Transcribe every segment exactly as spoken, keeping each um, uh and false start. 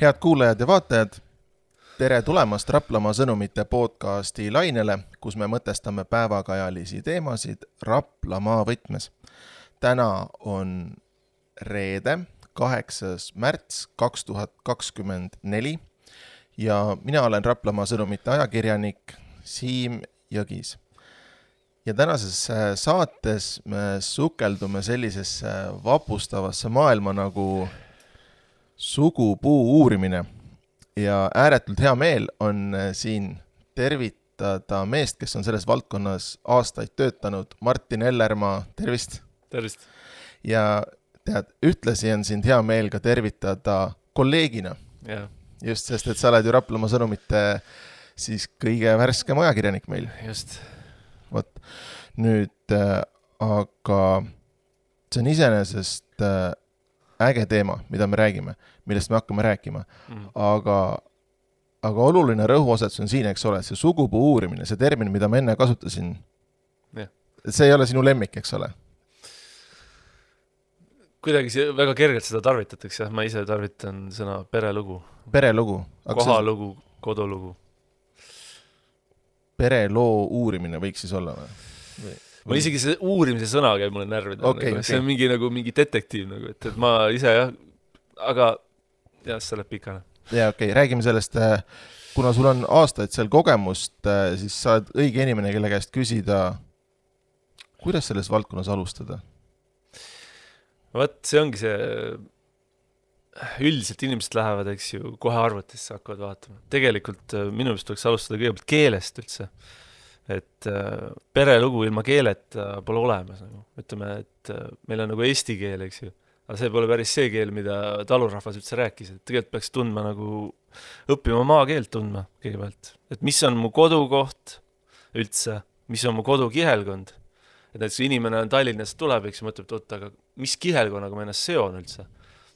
Head kuulajad ja vaatajad, tere tulemast Raplamaa sõnumite podcasti lainele, kus me mõtestame päevakajalisi teemasid Raplamaa võtmes. Täna on reede, kaheksas märts kaks tuhat kakskümmend neli ja mina olen Raplamaa sõnumite ajakirjanik Siim Jõgis. Ja tänases saates me sukeldume sellisesse vapustavasse maailma nagu sugupuu uurimine ja ääretult hea meel on siin tervitada meest, kes on selles valdkonnas aastaid töötanud, Martin Ellermaa, tervist! Tervist! Ja tead, ühtlasi on sind hea meel ka tervitada kolleegina. Ja. Just, sest et sa oled ju Raplamaa sõnumite siis kõige värskem ajakirjanik meil. Just. Vot, nüüd, aga see on iseenesest äge teema, mida me räägime, millest me hakkame rääkima. Mm. Aga, aga oluline rõhuosetus on siin, eks ole, see sugupuu uurimine, see termin, mida ma enne kasutasin. Yeah. See ei ole sinu lemmik, eks ole? Kuidagi see, väga kergelt seda tarvitatakse, jah, ma ise tarvitan sõna perelugu. Perelugu. Kohalugu, kodulugu. Pereloo uurimine võiks siis olla või? või? Ma isegi see uurimise sõna käib mulle närvida. Okay, nagu, okay. See on mingi, nagu, mingi detektiiv, nagu, et, et ma ise jah, aga jah, see läheb pikane. Ja okei, okay. Räägime sellest, kuna sul on aastaid seal kogemust, siis sa oled õige inimene, kelle käest küsida, kuidas selles valdkonnas alustada? Vaat, see ongi see, üldiselt inimesed lähevad, eks ju, kohe arvutisse hakkavad vaatama. Tegelikult minu meelest tuleks alustada kõigepealt keelest üldse. Et äh, perelugu ilma keelet äh, pole olemas. Nagu. Ütleme, et äh, meil on nagu eesti keel, eks ju. Aga see pole päris see keel, mida talurahvas üldse rääkis. Et tegelikult peaks tundma nagu, õppima maakeelt tundma kõigepealt. Et mis on mu kodukoht üldse, mis on mu kodukihelkond. Et näiteks inimene on Tallinnast tuleb, eks ju, mõtleb, et oot, aga mis kihelkonnaga ma ennast seon üldse.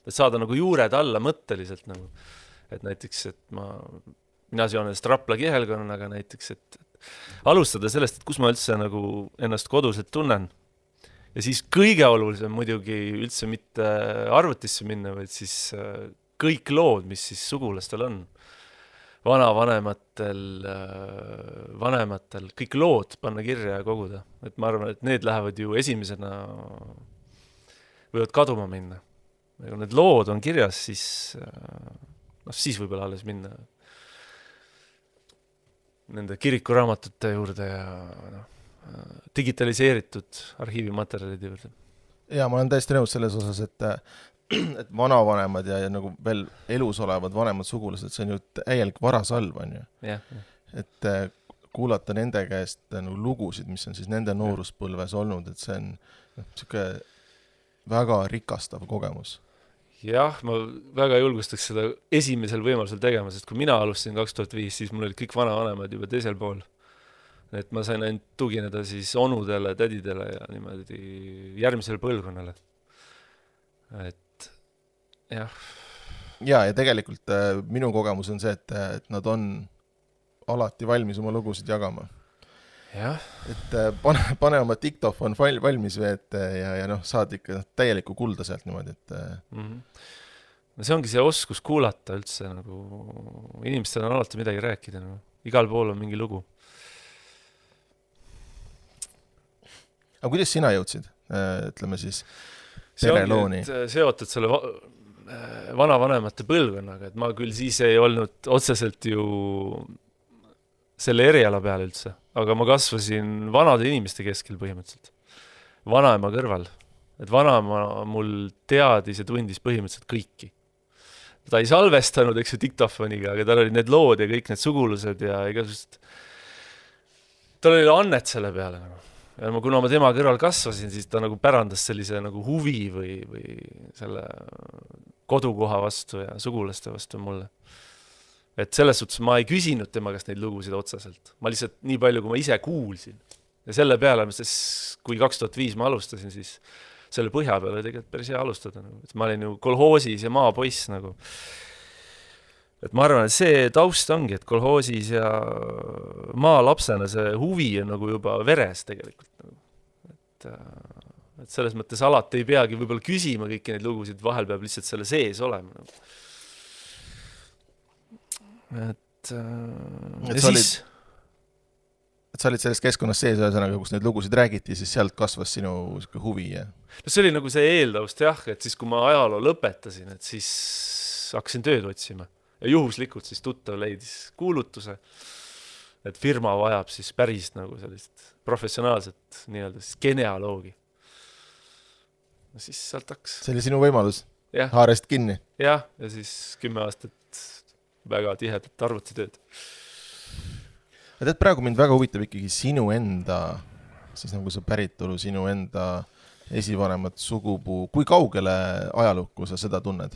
Et saada nagu juured alla mõtteliselt nagu. Et näiteks, et ma, mina seon ennast Rapla kihelkonnaga näiteks, et alustada sellest, et kus ma üldse nagu ennast koduselt tunnen. Ja siis kõige olulisem muidugi üldse mitte arvutisse minna, vaid siis kõik lood, mis siis sugulastel on. Vanavanematel, vanematel, kõik lood panna kirja ja koguda. Et ma arvan, et need lähevad ju esimesena, võivad kaduma minna. Ja kui need lood on kirjas, siis, no, siis võib-olla alles minna nende kirikuraamatute juurde ja no, digitaliseeritud arhiivimaterjalide juurde. Ja ma olen täiesti nõus selles osas, et, et vanavanemad ja, ja nagu veel elus olevad vanemad sugulased, see on ju täielik varasalv, on ju. Ja, ja. Et kuulata nende käest nagu lugusid, mis on siis nende nooruspõlves olnud, et see on no, siuke väga rikastav kogemus. Jah, ma väga julgustaks seda esimesel võimalusel tegema, sest kui mina alustasin kaks tuhat viis, siis mul olid kõik vanavanemad juba teisel pool. Et ma sain ainult tugineda siis onudele, tädidele ja niimoodi järgmisele põlvkonnale. Et jah. Ja, ja tegelikult äh, minu kogemus on see, et, et nad on alati valmis oma lugusid jagama. Jah. Et äh, pane, pane oma diktofon valmis või et, ja, ja noh, saad ikka täielikku kulda sealt niimoodi, et äh... mm-hmm. no see ongi see oskus kuulata üldse, nagu inimestel on alati midagi rääkida, nagu. Igal pool on mingi lugu. Aga kuidas sina jõudsid, ütleme siis, perelooni? See ongi, et seotud selle va- vanavanemate põlvkonnaga, et ma küll siis ei olnud otseselt ju selle eriala peal üldse, aga ma kasvasin vanade inimeste keskel põhimõtteliselt. Vanaema kõrval. Et vanaema mul teadis ja tundis põhimõtteliselt kõiki. Ta ei salvestanud, eks ju, diktofoniga, aga tal olid need lood ja kõik need sugulused ja igasugust. Tal oli annet selle peale. Ja ma, kuna ma tema kõrval kasvasin, siis ta nagu pärandas sellise nagu huvi või, või selle kodukoha vastu ja sugulaste vastu mulle. Et selles suhtes ma ei küsinud tema käest neid lugusid otseselt. Ma lihtsalt nii palju, kui ma ise kuulsin. Ja selle peale, sest kui kaks tuhat viis ma alustasin, siis selle põhja peale tegelikult päris hea alustada. Et ma olin ju kolhoosis ja maapoiss. Nagu. Et ma arvan, et see taust ongi, et kolhoosis ja maalapsena see huvi on nagu juba veres tegelikult. Et, et selles mõttes alati ei peagi võib-olla küsima kõiki neid lugusid, vahel peab lihtsalt selle sees olema. et, äh, et ja sa siis olid, et sa olid selles keskkonnas sees, ühesõnaga, kus neid lugusid räägiti, siis sealt kasvas sinu huvi ja no see oli nagu see eeldavust jah, et siis kui ma ajaloo lõpetasin, et siis hakkasin tööd otsima ja juhuslikult siis tuttav leidis kuulutuse, et firma vajab siis päris nagu sellist professionaalset nii-öelda siis genealoogi. Ja siis sealt hakkas. see oli sinu võimalus, jah. haarest kinni. jah, ja siis kümme aastat väga tihedat arvutitööd. aga tead, praegu mind väga huvitab ikkagi sinu enda, siis nagu see päritolu, sinu enda esivanemat sugupuu, kui kaugele ajalukku sa seda tunned?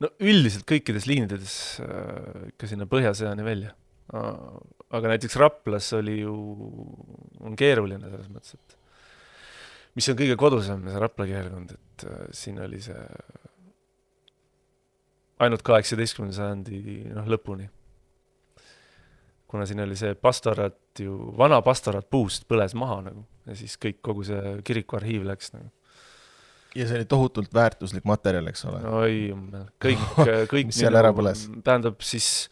No üldiselt kõikides liinides äh, ikka sinna põhjasõjani välja. Aga näiteks Raplas oli ju, on keeruline selles mõttes, et mis on kõige kodusem, see Rapla kihelkond, et äh, siin oli see ainult kaheksateistkümnenda sajandi noh, lõpuni. Kuna siin oli see pastorat ju, vana pastorat puust põles maha nagu, ja siis kõik, kogu see kirikuarhiiv läks nagu. Ja see oli tohutult väärtuslik materjal, eks ole? Oi, kõik, kõik mis seal ära põles? Tähendab siis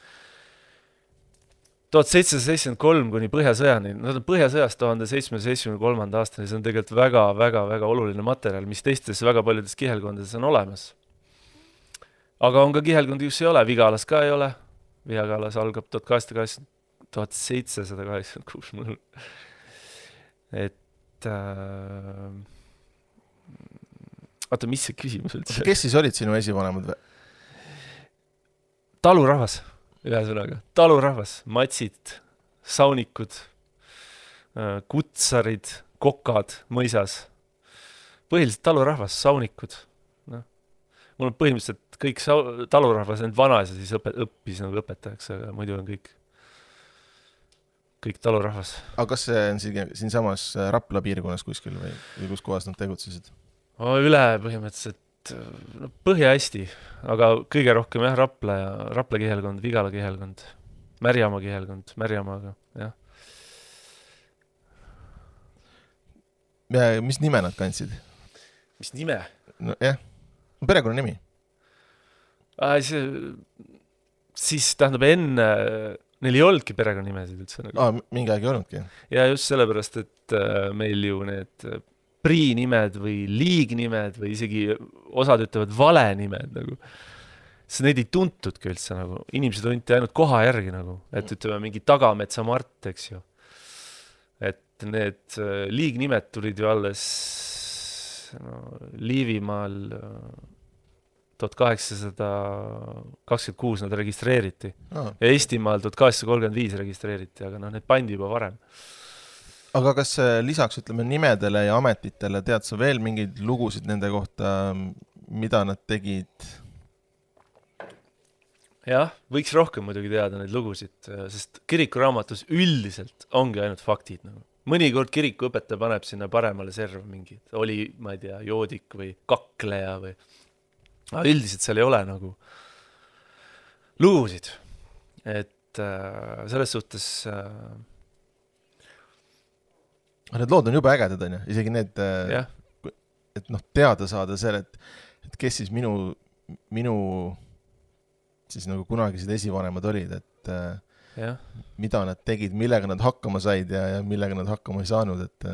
tuhat seitsesada seitsekümmend kolm kuni põhjasõjani, no põhjasõjast tuhande seitsmesaja seitsmekümne kolmanda aastani, see on tegelikult väga, väga, väga oluline materjal, mis teistes väga paljudes kihelkondades on olemas. Aga on ka kihelkondi, kus ei ole, Vigalas ka ei ole, Vigalas algab tuhat seitsesada kaheksakümmend kuus mul. Et äh, oota, mis see küsimus üldse? Kes siis olid sinu esivanemad? Talurahvas, ühesõnaga. Talurahvas, matsid, saunikud, kutsarid, kokad mõisas. Põhiliselt talurahvas, saunikud. No. Mul on põhimõtteliselt kõik sa- talurahvas end vanas ja siis õpe, õppis nagu õpetajaks, aga muidu on kõik, kõik talurahvas. Aga kas see on siin, siin samas Rapla piirkonnas kuskil või, või kus kohas nad tegutsesid? Üle põhimõtteliselt no, põhja hästi, aga kõige rohkem jah, Rapla ja Rapla kihelkond, Vigala kihelkond, Märjamaa kihelkond, Märjamaaga, jah. Ja mis nime nad kandsid? Mis nime? No jah, perekonna nimi. Äh, see, siis tähendab enne, neil ei olnudki perekonna nimesid üldse. Nagu. Aa, mingi aeg ei olnudki. Ja just sellepärast, et äh, meil ju need priinimed või liignimed või isegi osad ütlevad valenimed nagu. See neid ei tuntudki üldse nagu. Inimesed tunti ainult koha järgi nagu, et ütleme mingi Tagametsa Mart, eks ju. Et need liignimed tulid ju alles no, Liivimaal tuhat kaheksasada kakskümmend kuus nad registreeriti. Aa. Ja Eestimaal tuhat kaheksasada kolmkümmend viis registreeriti, aga no need pandi juba varem. Aga kas lisaks, ütleme, nimedele ja ametitele tead sa veel mingeid lugusid nende kohta, mida nad tegid? Jah, võiks rohkem muidugi teada neid lugusid, sest kirikuraamatus üldiselt ongi ainult faktid. Nagu. Mõnikord kirikuõpetaja paneb sinna paremale serva mingi, oli, ma ei tea, joodik või kakleja või... Aga üldiselt seal ei ole nagu lugusid. Et äh, selles suhtes... Äh, Need lood on juba ägedad, on ju, isegi need, yeah. et noh, teada saada selle, et, et kes siis minu, minu siis nagu kunagised esivanemad olid, et yeah. mida nad tegid, millega nad hakkama said ja, ja millega nad hakkama ei saanud. Et,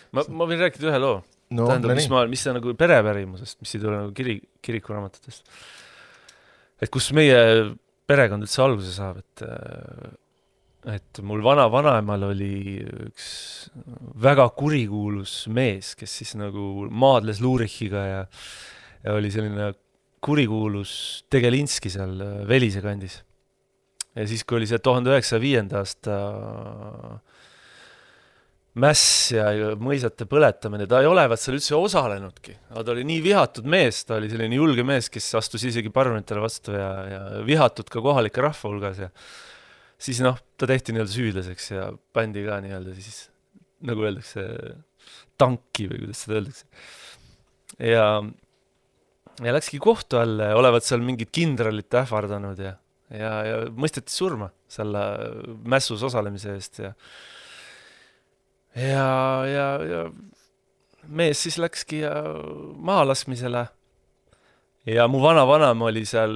ma, ma võin rääkida ühe loo. No, tähendab, mis, ma, mis see nagu perepärimusest, mis ei tule nagu kiri, kirikuraamatutest. Et kus meie perekond üldse alguse saab, et et mul vana vanaemal oli üks väga kurikuulus mees, kes siis nagu maadles Luurichiga ja, ja oli selline kurikuulus Tegelinski seal Velise kandis. Ja siis, kui oli see tuhande üheksasaja viienda aasta mäss ja mõisate põletamine, ta ei olevat seal üldse osalenudki. Ta oli nii vihatud mees, ta oli selline julge mees, kes astus isegi parunitele vastu ja, ja vihatud ka kohalike rahva hulgas ja siis noh, ta tehti nii-öelda süüdlaseks ja pandi ka nii-öelda siis, nagu öeldakse, tanki või kuidas seda öeldakse. Ja, ja läkski kohtu alle, olevat seal mingid kindralit ähvardanud ja, ja, ja mõisteti surma selle mässus osalemise eest ja ja, ja, ja mees siis läkski maalaskmisele ja mu vana vanam oli seal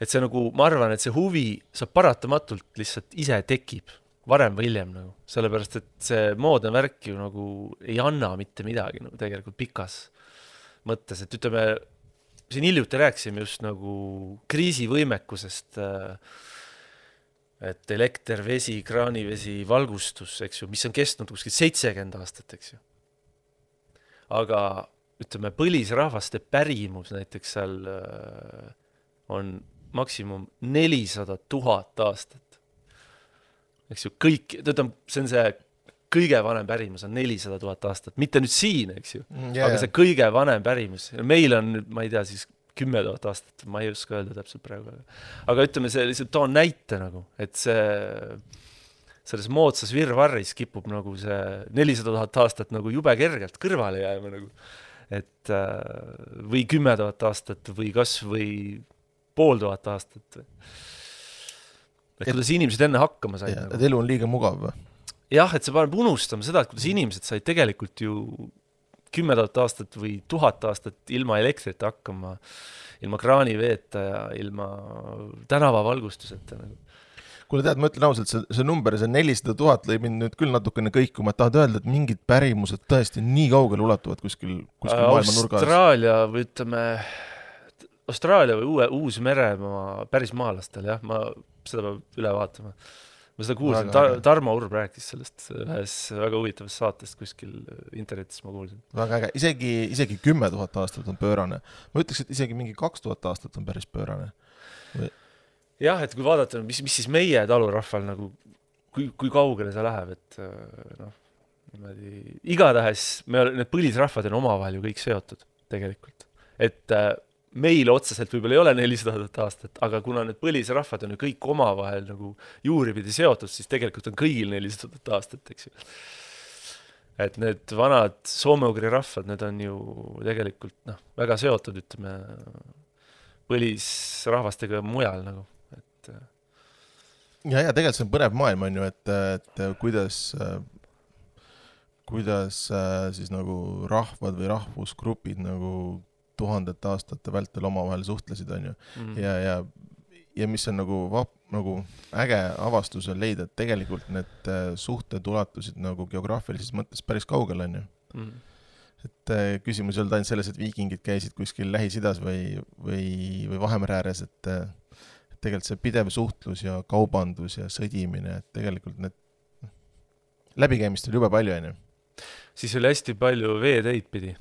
et see nagu, ma arvan, et see huvi saab paratamatult lihtsalt ise tekib, varem või hiljem nagu, sellepärast, et see moodne värk ju nagu ei anna mitte midagi nagu tegelikult pikas mõttes, et ütleme, siin hiljuti rääkisime just nagu kriisivõimekusest, et elekter, vesi, kraanivesi, valgustus, eks ju, mis on kestnud kuskil seitsekümmend aastat, eks ju. Aga ütleme, põlisrahvaste pärimus näiteks seal on maksimum nelisada tuhat aastat. Eks ju, kõik, tõtam, see on see kõige vanem pärimus on nelisada tuhat aastat. Mitte nüüd siin, eks ju, yeah. Aga see kõige vanem pärimus. Meil on nüüd, ma ei tea, siis kümme tuhat aastat, ma ei oska öelda täpselt praegu. Aga ütleme, see lihtsalt toon näite nagu, et see selles moodsas virvarris kipub nagu see nelisada tuhat aastat nagu jube kergelt kõrvale jääma nagu. Et või kümme tuhat aastat või kas või pool tuhat aastat. Et kuidas inimesed enne hakkama said. Ja, nagu. Et elu on liiga mugav või? Jah, et see paneb unustama seda, et kuidas inimesed said tegelikult ju kümme tuhat aastat või tuhat aastat ilma elektrit hakkama, ilma kraaniveeta ja ilma tänavavalgustuseta nagu. Kuule tead, ma ütlen ausalt, see, see number, see nelisada tuhat lõi mind nüüd küll natukene kõikuma, et tahad öelda, et mingid pärimused tõesti nii kaugele ulatuvad kuskil, kuskil maailma nurgas. Austraalia või ütleme, Austraalia või uue, uus meremaa päris maalastel, jah, ma seda peab üle vaatama. Ma seda kuulsin, Tar- Tarmo Urb rääkis sellest ühes väga huvitavast saatest kuskil internetis ma kuulsin. Väga äge, isegi, isegi kümme tuhat aastat on pöörane. Ma ütleks, et isegi mingi kaks tuhat aastat on päris pöörane. Või... Jah, et kui vaadata, mis, mis siis meie talurahval nagu, kui, kui kaugele see läheb, et noh, niimoodi, igatahes me, need põlisrahvad on omavahel ju kõik seotud tegelikult. Et meil otseselt võib-olla ei ole nelisada aastat, aga kuna need põlisrahvad on ju kõik omavahel nagu juuripidi seotud, siis tegelikult on kõigil nelisada aastat, eks ju. Et need vanad soome-ugri rahvad, need on ju tegelikult noh, väga seotud, ütleme, põlisrahvastega mujal nagu. Et... Ja, ja tegelikult see on põnev maailm, on ju, et, et kuidas, kuidas siis nagu rahvad või rahvusgrupid nagu tuhandete aastate vältel omavahel suhtlesid, on ju. Mm. Ja, ja, ja mis on nagu, vap, nagu äge avastus on leida, et tegelikult need suhted ulatusid nagu geograafilises mõttes päris kaugel, on ju. Mm. Et küsimus ei olnud ainult selles, et viikingid käisid kuskil Lähis-Idas või, või, või Vahemere ääres, et, et tegelikult see pidev suhtlus ja kaubandus ja sõdimine, et tegelikult need läbikäimist oli jube palju, on ju. Siis oli hästi palju veeteid pidi.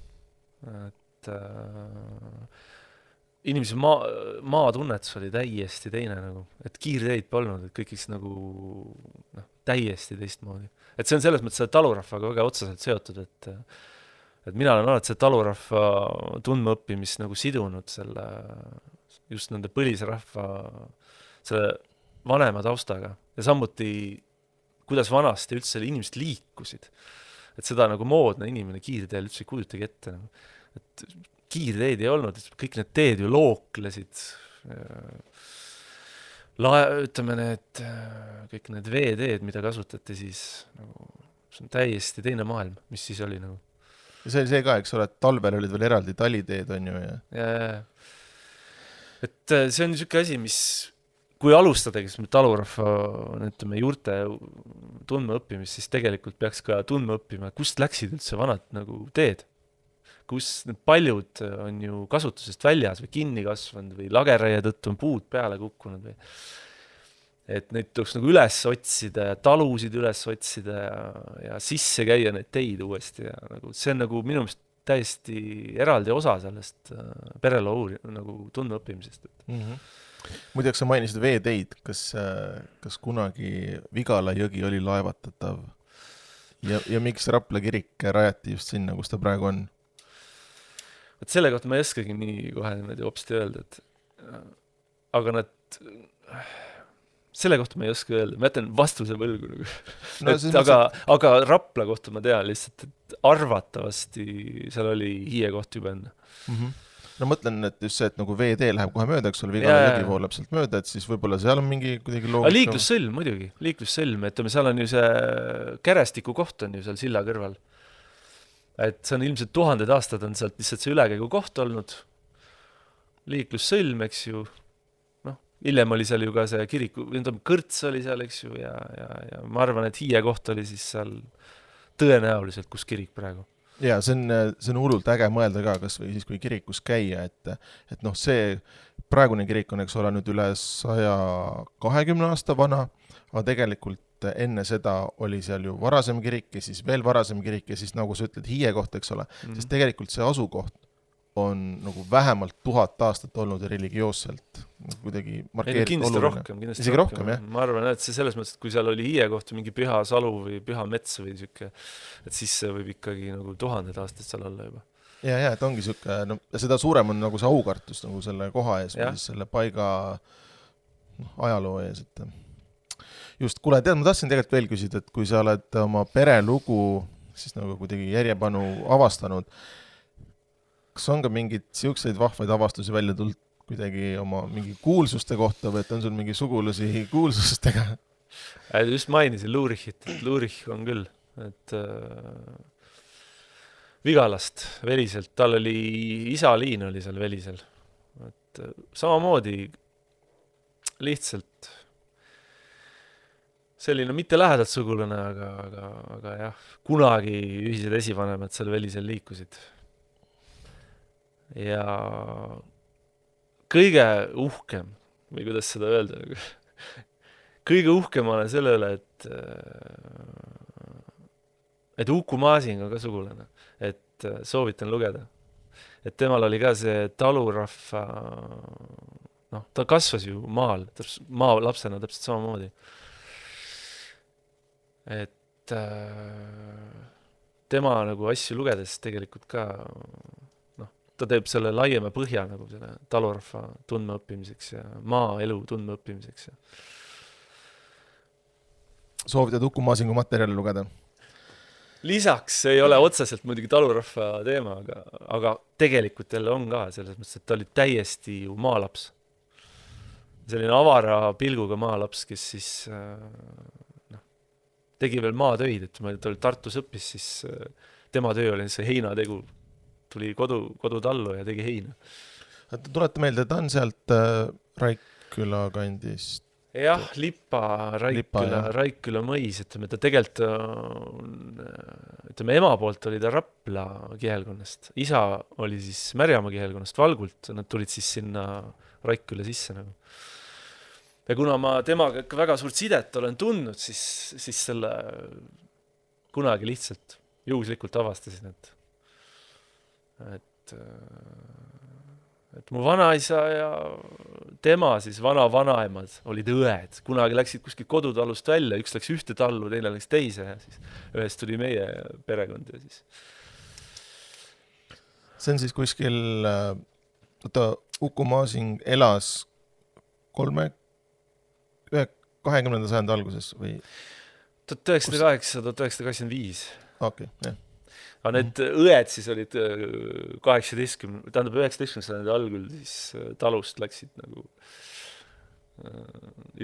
Et äh, inimese maa, maatunnetus oli täiesti teine nagu, et kiirteid polnud, et kõik nagu noh, täiesti teistmoodi. Et see on selles mõttes talurahvaga väga otseselt seotud, et, et mina olen alati see talurahva tundmaõppimist nagu sidunud selle, just nende põlisrahva selle vanema taustaga ja samuti kuidas vanasti üldse inimesed liikusid. Et seda nagu moodne inimene kiirteel üldse ei kujutagi ette nagu. Et kiirteed ei olnud, kõik need teed ju looklesid, lae, ütleme need, kõik need veeteed, mida kasutati siis, nagu, see on täiesti teine maailm, mis siis oli nagu. Ja see oli see ka, eks ole, et talvel olid veel eraldi taliteed, on ju. Ja, ja, ja. Et see on niisugune asi, mis, kui alustada, kes me talurahva, ütleme, juurte tundma õppimist, siis tegelikult peaks ka tundma õppima, kust läksid üldse vanad nagu teed. Kus need paljud on ju kasutusest väljas või kinni kasvanud või lageraie tõttu on puud peale kukkunud või et neid tuleks nagu üles otsida ja talusid üles otsida ja, ja sisse käia neid teid uuesti ja nagu see on nagu minu meelest täiesti eraldi osa sellest pereloo nagu tundma õppimisest. Mm-hmm. Muideks sa mainisid veeteid, kas, kas kunagi Vigala jõgi oli laevatatav ja, ja miks Rapla kirik rajati just sinna, kus ta praegu on? Et selle kohta ma ei oskagi nii kohe niimoodi hopsti öelda, et aga nad selle kohta ma ei oska öelda, ma jätan vastuse võlgu nagu. No, et, aga, mõtles... aga Rapla kohta ma tean lihtsalt, et arvatavasti seal oli hiie koht juba enne. Mm-hmm. No mõtlen, et just see, et nagu veetee läheb kohe mööda, eks ole, Vigala jõgi voolab sealt mööda, et siis võib-olla seal on mingi kuidagi loogika. Liiklussõlm muidugi, liiklussõlm, et seal on ju see kärestiku koht on ju seal silla kõrval. Et see on ilmselt tuhanded aastad on sealt lihtsalt see ülekäigu koht olnud. Liiklussõlm, eks ju. Noh, hiljem oli seal ju ka see kiriku, kõrts oli seal, eks ju, ja, ja, ja ma arvan, et Hiie koht oli siis seal tõenäoliselt, kus kirik praegu. Ja see on, see on hullult äge mõelda ka, kas või siis kui kirikus käia, et, et noh, see praegune kirik on, eks ole, nüüd üle saja kahekümne aasta vana, aga tegelikult enne seda oli seal ju varasem kirik ja siis veel varasem kirik ja siis nagu sa ütled Hiie koht, eks ole, mm-hmm. sest tegelikult see asukoht on nagu vähemalt tuhat aastat olnud religioosselt kuidagi markeeritud kindlasti oluline. Rohkem, kindlasti Isegi rohkem, rohkem, jah. Ma arvan, et see selles mõttes, et kui seal oli Hiie kohta mingi püha salu või püha mets või siuke, et siis see võib ikkagi nagu tuhanded aastad seal olla juba. Ja, ja, et ongi siuke, no seda suurem on nagu see aukartus nagu selle koha ees ja. Või siis selle paiga no, ajaloo ees, et just, kuule, tead, ma tahtsin tegelikult veel küsida, et kui sa oled oma perelugu siis nagu kuidagi järjepanu avastanud, kas on ka mingid siukseid vahvaid avastusi välja tulnud kuidagi oma mingi kuulsuste kohta või et on sul mingi sugulusi kuulsustega? Just mainisin Luurichit, et Luurich on küll, et äh, Vigalast Veliselt, tal oli isaliin oli seal Velisel, et äh, samamoodi lihtsalt selline mitte lähedalt sugulane, aga, aga, aga jah, kunagi ühised esivanemad seal Velisel liikusid. Ja kõige uhkem, või kuidas seda öelda, kõige uhkem olen selle üle, et, et Uku Masing on ka sugulane, et soovitan lugeda. Et temal oli ka see talurahva, noh, ta kasvas ju maal, maa lapsena täpselt samamoodi. Et äh, tema nagu asju lugedes tegelikult ka noh, ta teeb selle laiema põhja nagu selle talurahva tundme õppimiseks ja maaelu tundme õppimiseks. Ja. Soovitad Uku Masingu materjali lugeda? Lisaks ei ole otseselt muidugi talurahva teema, aga, aga tegelikult jälle on ka selles mõttes, et ta oli täiesti ju maalaps. Selline avara pilguga maalaps, kes siis äh, tegi veel maatöid, et ma ta oli Tartus õppis, siis tema töö oli see heinategu. Tuli kodu, kodutallu ja tegi heina. Tuleta meelde, ta on sealt äh, Raikküla kandist? Jah, Lipa, Raikküla, Raikküla mõis, ütleme, ta tegelikult ütleme, ema poolt oli ta Rapla kihelkonnast. Isa oli siis Märjamaa kihelkonnast Valgult, nad tulid siis sinna Raikküla sisse nagu. Ja kuna ma temaga väga suurt sidet olen tundnud, siis, siis selle kunagi lihtsalt juhuslikult avastasin, et, et, et mu vanaisa ja tema siis vana vanaemad olid õed. Kunagi läksid kuskil kodutalust välja, üks läks ühte tallu, teine läks teise ja siis ühest tuli meie perekond. Ja siis. See on siis kuskil, ta Uku Masing elas kolme kahekümnenda sajandi alguses või? tuhat üheksasada kaheksa, tuhat üheksasada kaheksakümmend viis. Okei, okay, jah. Aga need õed siis olid kaheksateistkümne, tähendab üheksateistkümnenda sajandi algul siis talust läksid nagu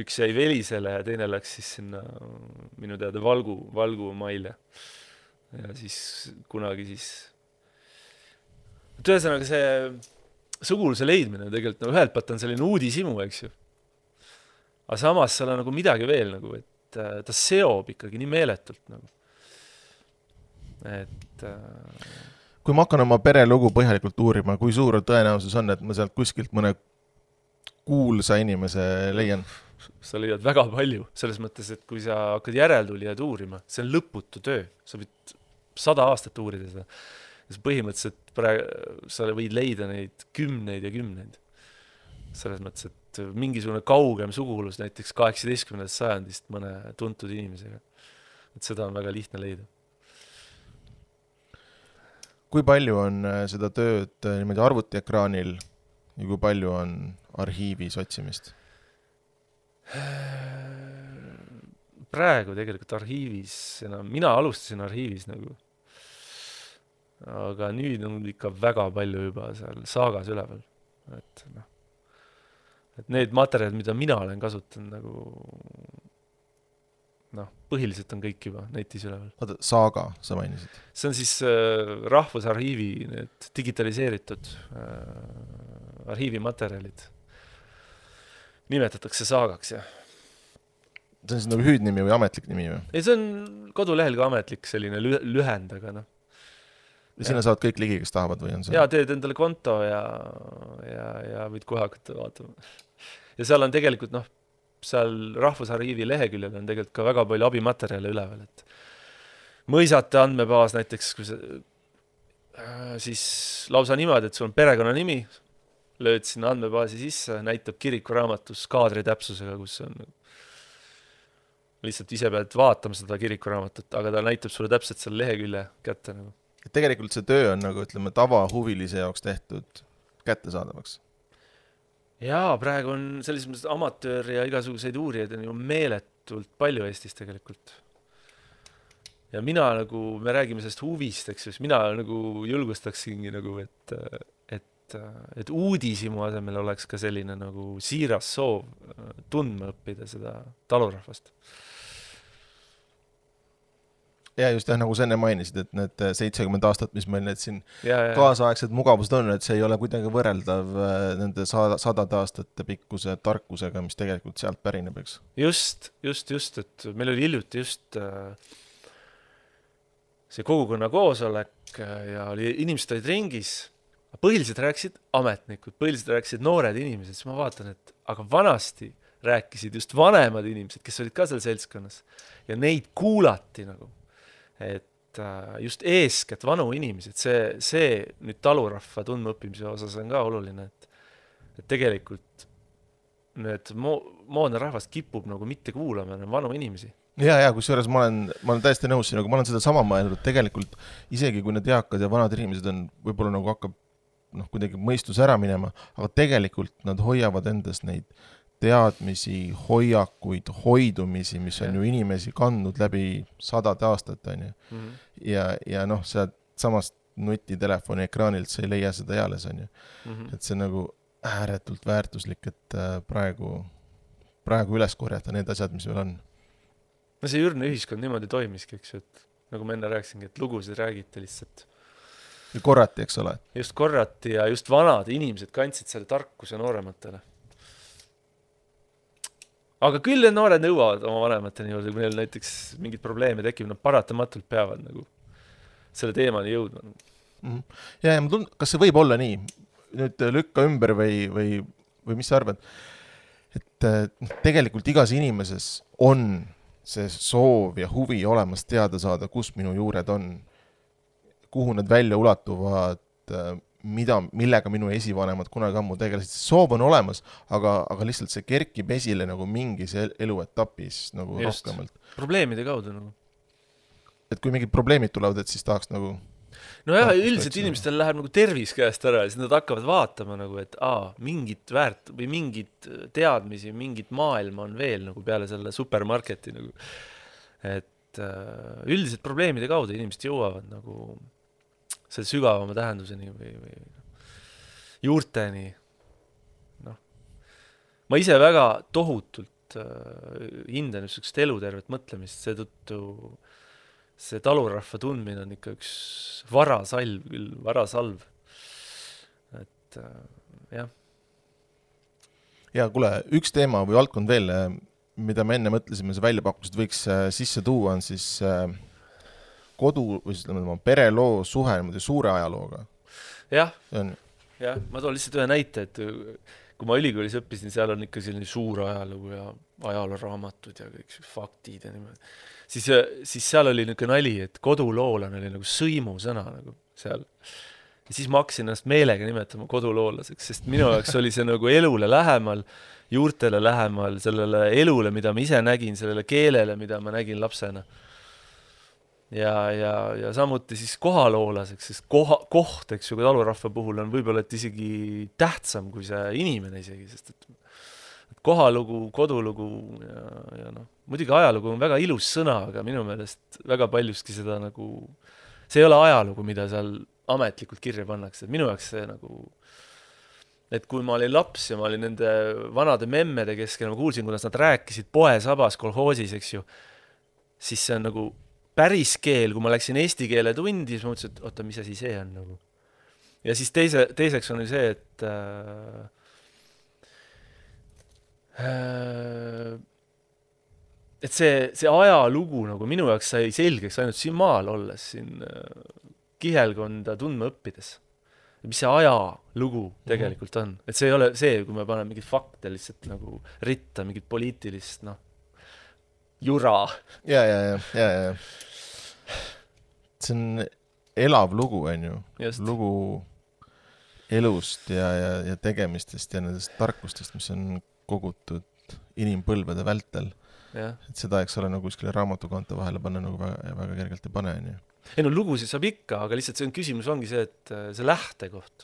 üks jäi Velisele ja teine läks siis sinna minu teada Valgu, Valgu maile. Ja siis kunagi siis ühesõnaga see suguluse leidmine tegelikult no, ühelt poolt on selline uudisimu, eks ju. Aga samas seal on nagu midagi veel, nagu, et ta seob ikkagi nii meeletult. Nagu. Et, äh... Kui ma hakkan oma perelugu põhjalikult uurima, kui suur tõenäosus on, et ma sealt kuskilt mõne kuulsa inimese leian? Sa leiad väga palju, selles mõttes, et kui sa hakkad järeltulijad uurima, see on lõputu töö. Sa võid sada aastat uurida seda. Ja põhimõtteliselt praegu, sa võid leida neid kümneid ja kümneid. Selles mõttes, et mingisugune kaugem sugulus näiteks kaheksateistkümnendast sajandist mõne tuntud inimesega. Et seda on väga lihtne leida. Kui palju on seda tööd niimoodi arvutiekraanil ja kui palju on arhiivis otsimist? Praegu tegelikult arhiivis, enam, mina alustasin arhiivis nagu, aga nüüd on ikka väga palju juba seal saagas üleval. Et noh, et need materjalid, mida mina olen kasutanud nagu noh, põhiliselt on kõik juba netis üleval. Oota, saaga sa mainisid? See on siis äh, Rahvusarhiivi need digitaliseeritud äh, arhiivimaterjalid. nimetatakse saagaks, jah. See on siis nagu hüüdnimi või ametlik nimi või? Ei, see on kodulehel ka ametlik selline lü- lühend, aga noh. Ja sinna saavad kõik ligi, kes tahavad või on see? Jaa, teed endale konto ja, ja, ja võid kohe hakata vaatama. Ja seal on tegelikult, noh, seal Rahvusarhiivi leheküljel on tegelikult ka väga palju abimaterjale üleval, et mõisate andmebaas näiteks, kui see, siis lausa niimoodi, et sul on perekonna nimi, lööd sinna andmebaasi sisse, näitab kirikuraamatus kaadri täpsusega, kus on lihtsalt ise pealt vaatama seda kirikuraamatut, aga ta näitab sulle täpselt selle lehekülje kätte. Nagu. Tegelikult see töö on nagu, ütleme, tavahuvilise jaoks tehtud kättesaadavaks. Jaa, praegu on sellises mõttes amatöör ja igasuguseid uurijaid on ju meeletult palju Eestis tegelikult. Ja mina nagu, me räägime sellest huvist, eks just, mina nagu julgustaksingi nagu, et, et, et uudisimu asemel oleks ka selline nagu siiras soov tundma õppida seda talurahvast. Ja just jah, nagu sa enne mainisid, et need seitsekümmend aastat, mis meil need siin ja, ja. kaasaegsed mugavused on, et see ei ole kuidagi võrreldav nende sadade aastate pikkuse tarkusega, mis tegelikult sealt pärineb, eks? Just, just, just, et meil oli hiljuti just see kogukonna koosolek ja oli, inimesed olid ringis, põhiliselt rääkisid ametnikud, põhiliselt rääkisid noored inimesed, siis ma vaatan, et aga vanasti rääkisid just vanemad inimesed, kes olid ka seal seltskonnas ja neid kuulati nagu. Et just eeskätt vanu inimesed, see, see nüüd talurahva tundmaõppimise osas on ka oluline, et, et tegelikult need mo- moodne rahvast kipub nagu mitte kuulama vanu inimesi. Ja, ja, kus juures ma olen, ma olen täiesti nõus sinuga, ma olen seda sama mõelnud, et tegelikult isegi kui need eakad ja vanad inimesed on võib-olla nagu hakkab noh, kuidagi mõistus ära minema, aga tegelikult nad hoiavad endas neid teadmisi, hoiakuid, hoidumisi, mis on ja. Ju inimesi kandnud läbi sadade aastat, on ju. Mm-hmm. Ja, ja noh, sealt samast nutitelefoni ekraanilt sa ei leia seda eales, on ju. Mm-hmm. Et see on nagu ääretult väärtuslik, et praegu, praegu üles korjata need asjad, mis meil on. No see ürne ühiskond niimoodi toimiski, eks ju, et nagu ma enne rääksingi, et lugusid räägite lihtsalt. Ja korrati, eks ole? Just korrati ja just vanad inimesed kandsid selle tarkuse noorematele. Aga küll need noored nõuavad oma vanemateni juurde, kui neil näiteks mingid probleeme tekib, nad paratamatult peavad nagu selle teemani jõudma. Mm-hmm. Ja, ja ma tund-, kas see võib olla nii? Nüüd lükka ümber või, või, või mis sa arvad? Et tegelikult igas inimeses on see soov ja huvi olemas teada saada, kus minu juured on, kuhu nad välja ulatuvad, mida, millega minu esivanemad kunagi ammu tegelesid. Soov on olemas, aga, aga lihtsalt see kerkib esile nagu mingis eluetapis nagu just. Rohkemalt. Probleemide kaudu nagu. Et kui mingid probleemid tulevad, et siis tahaks nagu... No jah, üldiselt inimestel läheb nagu tervis käest ära ja siis nad hakkavad vaatama nagu, et aa, mingit väärt või mingit teadmisi, mingit maailma on veel nagu peale selle supermarketi nagu. Et äh, üldiselt probleemide kaudu inimesed jõuavad nagu selle sügavama tähenduseni või, või juurteni. No. Ma ise väga tohutult äh, hindan just elutervet mõtlemist, seetõttu see talurahva tundmine on ikka üks varasalv küll, varasalv. Et äh, jah. Ja kuule, üks teema või valdkond veel, mida me enne mõtlesime, see väljapakkused võiks äh, sisse tuua, on siis äh, kodu või siis ütleme, pereloo suhe suure ajalooga. Jah, jah, ma toon lihtsalt ühe näite, et kui ma ülikoolis õppisin, seal on ikka selline suur ajalugu ja ajalooraamatud ja kõik faktid ja niimoodi. Siis, siis seal oli niisugune nali, et koduloolan oli nagu sõimusõna nagu seal. Ja siis ma hakkasin ennast meelega nimetama koduloolaseks, sest minu jaoks oli see nagu elule lähemal, juurtele lähemal, sellele elule, mida ma ise nägin, sellele keelele, mida ma nägin lapsena. Ja, ja, ja samuti siis kohaloolaseks, sest koha, koht, eks ju, talurahva puhul on võib-olla et isegi tähtsam kui see inimene isegi, sest et, et kohalugu, kodulugu ja, ja noh, muidugi ajalugu on väga ilus sõna, aga minu meelest väga paljuski seda nagu, see ei ole ajalugu, mida seal ametlikult kirja pannakse, et minu jaoks see nagu, et kui ma olin laps ja ma olin nende vanade memmede keskel, ma kuulsin, kuidas nad rääkisid poesabas kolhoosis, eks ju, siis see on nagu päris keel, kui ma läksin eesti keele tundi, siis ma mõtlesin, et oota, mis asi see on nagu. Ja siis teise, teiseks on see, et äh, et see, see ajalugu nagu minu jaoks sai selgeks ainult siin maal olles, siin kihelkonda tundma õppides. Mis see ajalugu tegelikult on. Et see ei ole see, kui me paneme mingid fakte lihtsalt nagu ritta, mingid poliitilist, noh, jura. Ja, ja, ja, ja, ja. See on elav lugu, on ju. Just. Lugu elust ja, ja, ja tegemistest ja nendest tarkustest, mis on kogutud inimpõlvede vältel. Ja. Et seda, eks ole, nagu kuskile raamatukante vahele panna nagu väga, väga kergelt ei pane. On ju. Ei no lugusid saab ikka, aga lihtsalt see on küsimus ongi see, et see lähtekoht,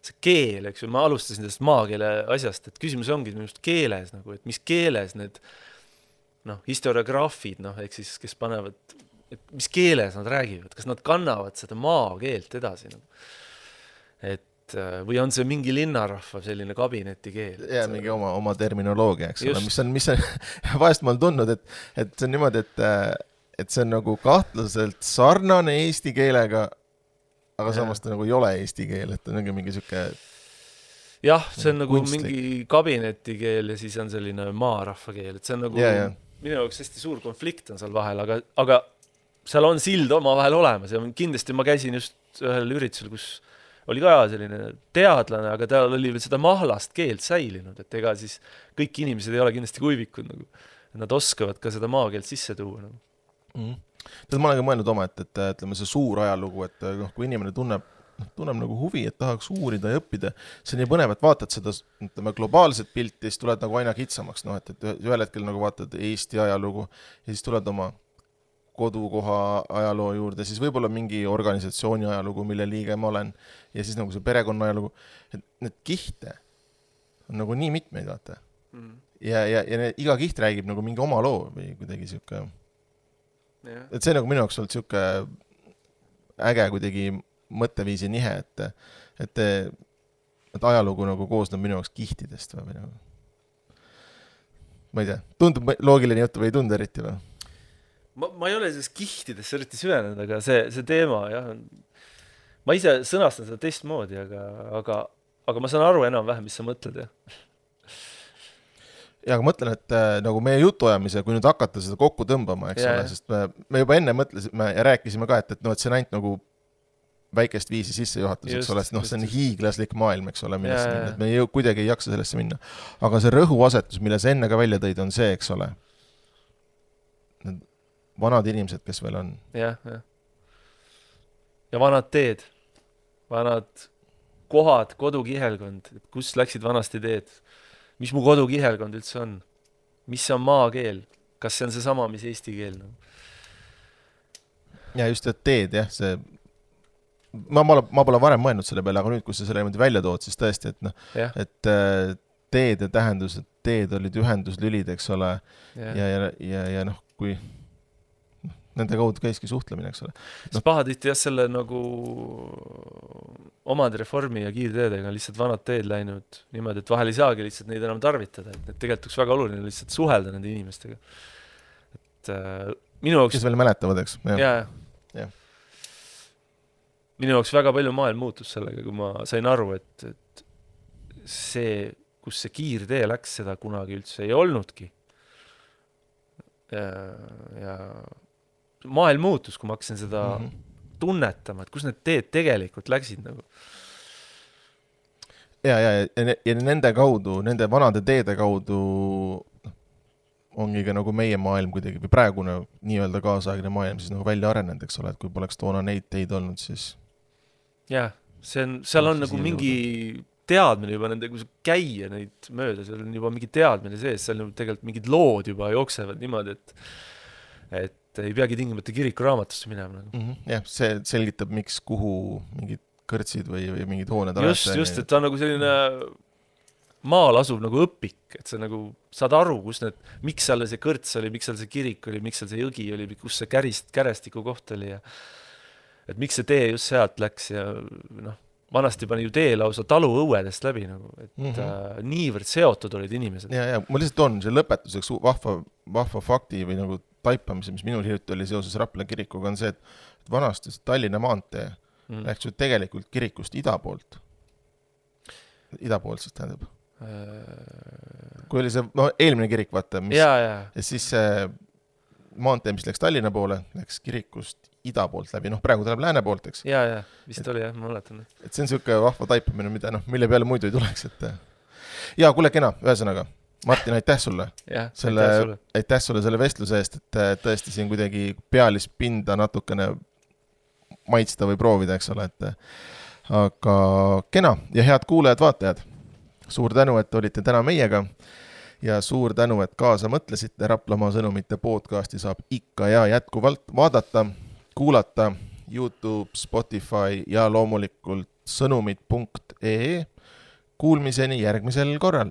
see keel, eks ju, ma alustasin sellest maakeele asjast, et küsimus ongi minust keeles, nagu, et mis keeles need noh, historiograafid, noh, ehk siis, kes panevad, et mis keeles nad räägivad, kas nad kannavad seda maakeelt edasi, nagu. Et või on see mingi linnarahva selline kabineti keel? Ja see... mingi oma, oma terminoloogia, eks ole, mis on, mis on vahest ma olen tundnud, et, et see on niimoodi, et, et see on nagu kahtlaselt sarnane eesti keelega, aga ja. Samas ta nagu ei ole eesti keel, et on mingi siuke jah, see on nagu kunstlik. Mingi kabineti keel ja siis on selline maarahva keel, et see on nagu ja, ja. Minu jaoks hästi suur konflikt on seal vahel, aga, aga seal on sild oma vahel olemas ja kindlasti ma käisin just ühel üritusel, kus oli ka selline teadlane, aga tal oli veel seda mahlast keelt säilinud, et ega siis kõik inimesed ei ole kindlasti kuivikud, nagu. Nad oskavad ka seda maakeelt sisse tuua. Nagu. Mm. Tead, ma olen ka mõelnud oma, et, et ütleme see suur ajalugu, et noh, kui inimene tunneb, tunneb nagu huvi, et tahaks uurida ja õppida, see on nii põnev, et vaatad seda ütleme, globaalset pilti ja siis tuled nagu aina kitsamaks, noh, et, et ühel hetkel nagu vaatad Eesti ajalugu ja siis tuled oma kodukoha ajaloo juurde, siis võib-olla mingi organisatsiooni ajalugu, mille liige ma olen, ja siis nagu see perekonna ajalugu, et need kihte on nagu nii mitmeid, vaata. Mm. Ja, ja, ja need, iga kiht räägib nagu mingi oma loo või kuidagi siuke, yeah. Et see nagu minu jaoks olnud siuke äge kuidagi mõtteviisi nihe, et, et, et ajalugu nagu koosneb minu jaoks kihtidest või nagu. Ma ei tea, tundub loogiline jutt või ei tundu eriti või? Ma, ma ei ole selles kihtidesse eriti süvenenud, aga see, see teema, jah, ma ise sõnastan seda teistmoodi, aga, aga, aga ma saan aru enam-vähem, mis sa mõtled, jah. Ja, aga mõtlen, et äh, nagu meie jutuajamise, kui nüüd hakata seda kokku tõmbama, eks yeah. ole, sest me, me juba enne mõtlesime ja rääkisime ka, et, et, no, et see on ainult nagu väikest viisi sisse juhatus, eks ole, et noh, see on hiiglaslik maailm, eks ole, millesse yeah, minna, et me ei, kuidagi ei jaksa sellesse minna. Aga see rõhuasetus, mille sa enne ka välja tõid, on see, eks ole, need vanad inimesed, kes veel on. Jah, jah. Ja vanad teed, vanad kohad, kodukihelkond, kus läksid vanasti teed, mis mu kodukihelkond üldse on, mis on maakeel, kas see on see sama, mis eesti keel? No? Ja just, et teed, jah, see, ma, ma, ma pole varem mõelnud selle peale, aga nüüd, kus sa selle välja tood, siis tõesti, et, noh, et teede tähendus, et teed olid ühenduslülid, eks ole, ja, ja, ja, ja, ja noh, kui nende kaudu käiski suhtlemine, eks ole. No. Pahatihti jah, selle nagu omad reformi ja kiirteedega lihtsalt vanad teed läinud niimoodi, et vahel ei saagi lihtsalt neid enam tarvitada, et need tegelikult oleks väga oluline lihtsalt suhelda nende inimestega. Et äh, minu jaoks... Kes veel mäletavad, eks? Ja, ja. ja. Minu jaoks väga palju maailm muutus sellega, kui ma sain aru, et, et see, kus see kiirtee läks, seda kunagi üldse ei olnudki. Ja, ja maailm muutus, kui ma hakkasin seda mm-hmm. tunnetama, et kus need teed tegelikult läksid nagu. Ja, ja, ja, ja nende kaudu, nende vanade teede kaudu ongi ka nagu meie maailm kuidagi, või praegune nii-öelda kaasaegne maailm siis nagu välja arenenud, eks ole, et kui poleks toona neid teid olnud, siis... Jah, see on, seal on nagu mingi teadmine juba nende, kui sa käia neid mööda, seal on juba mingi teadmine sees, seal on tegelikult mingid lood juba jooksevad niimoodi, et, et ei peagi tingimata kirikuraamatusse minema. Nagu. Mm-hmm. Jah, see selgitab, miks kuhu mingid kõrtsid või, või mingid hooned just, alati. Just, et ta on nagu selline maal asub nagu õpik, et sa nagu saad aru, kus need, miks seal see kõrts oli, miks seal see kirik oli, miks seal see jõgi oli, kus see kärist, kärestiku koht oli ja et miks see tee just sealt läks ja noh, vanasti pani ju tee lausa talu õuedest läbi nagu, et mm-hmm. äh, niivõrd seotud olid inimesed. Ja, ja ma lihtsalt on see lõpetuseks vahva, vahva fakti või nagu taipamise, mis minul hiljuti oli seoses Rapla kirikuga, on see, et vanasti Tallinna maantee mm. läks ju tegelikult kirikust ida poolt. Ida poolt siis tähendab. kui oli see, no eelmine kirik, vaata, mis, ja, ja. ja siis see maantee, mis läks Tallinna poole, läks kirikust ida poolt läbi, noh praegu tuleb lääne poolt, eks. Ja, ja, vist et, oli jah, ma mäletan. Et see on siuke vahva taipamine, mida, noh, mille peale muidu ei tuleks, et ja kuule kena, ühesõnaga, Martin, aitäh sulle. Ja, selle, aitäh sulle. aitäh sulle selle vestluse eest, et tõesti siin kuidagi pealispinda natukene maitsta või proovida, eks ole, et aga kena ja head kuulajad, vaatajad. Suur tänu, et olite täna meiega ja suur tänu, et kaasa mõtlesite. Raplamaa sõnumite podcasti saab ikka ja jätkuvalt vaadata, kuulata YouTube, Spotify ja loomulikult sõnumid punkt ee. Kuulmiseni järgmisel korral.